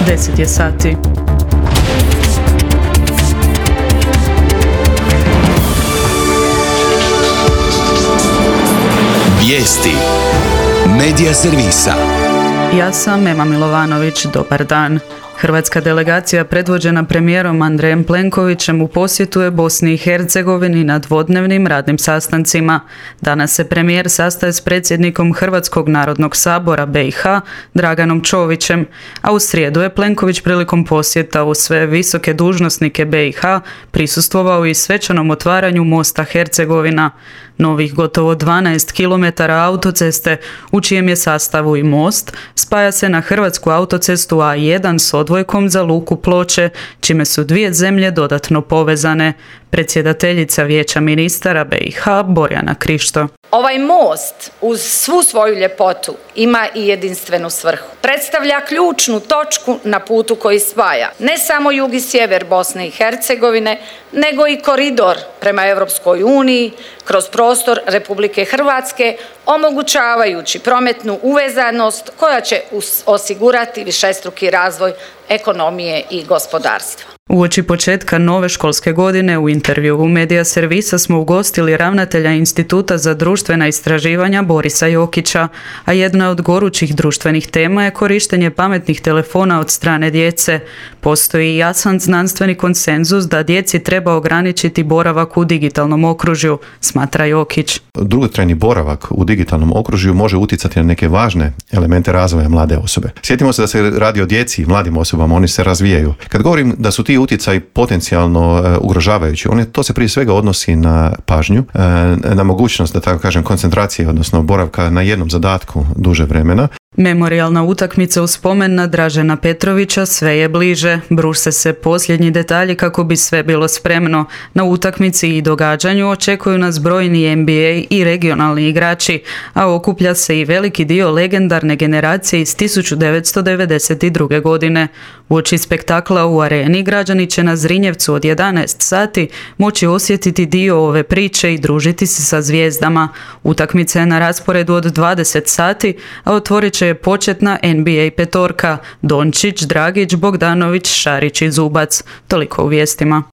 10 je sati. Vijesti Medija servisa. Ja sam Ema Milovanović, dobar dan. Hrvatska delegacija predvođena premijerom Andrejem Plenkovićem u posjetu je Bosni i Hercegovini na dvodnevnim radnim sastancima. Danas se premijer sastaje s predsjednikom Hrvatskog narodnog sabora BiH Draganom Čovićem, a u srijedu je Plenković prilikom posjeta u sve visoke dužnosnike BiH prisustvovao i svečanom otvaranju mosta Hercegovina. Novih gotovo 12 km autoceste, u čijem je sastavu i most, spaja se na hrvatsku autocestu A1 s odvojkom za luku Ploče, čime su dvije zemlje dodatno povezane. Predsjedateljica Vijeća ministara BiH Borjana Krišto. Ovaj most uz svu svoju ljepotu ima i jedinstvenu svrhu. Predstavlja ključnu točku na putu koji spaja ne samo jug i sjever Bosne i Hercegovine, nego i koridor prema Europskoj uniji kroz prostor Republike Hrvatske, omogućavajući prometnu uvezanost koja će osigurati višestruki razvoj ekonomije i gospodarstva. Uoči početka nove školske godine u intervju u Medija servisa smo ugostili ravnatelja Instituta za društvena istraživanja Borisa Jokića, a jedna od gorućih društvenih tema je korištenje pametnih telefona od strane djece. Postoji jasan znanstveni konsenzus da djeci treba ograničiti boravak u digitalnom okružju, smatra Jokić. Dugotrajni boravak u digitalnom okružju može utjecati na neke važne elemente razvoja mlade osobe. Sjetimo se da se radi o djeci i mladim osobama, oni se razvijaju. Kad govorim da su ti utjecaji potencijalno ugrožavajući, to se prije svega odnosi na pažnju, na mogućnost, da tako kažem, koncentracije, odnosno boravka na jednom zadatku duže vremena. Memorijalna utakmica u spomen na Dražena Petrovića sve je bliže. Bruse se posljednji detalji kako bi sve bilo spremno. Na utakmici i događanju očekuju nas brojni NBA i regionalni igrači, a okuplja se i veliki dio legendarne generacije iz 1992. godine. Uoči spektakla u areni građani će na Zrinjevcu od 11 sati moći osjetiti dio ove priče i družiti se sa zvijezdama. Utakmica je na rasporedu od 20 sati, a otvorit će je početna NBA petorka Dončić, Dragić, Bogdanović, Šarić i Zubac. Toliko u vijestima.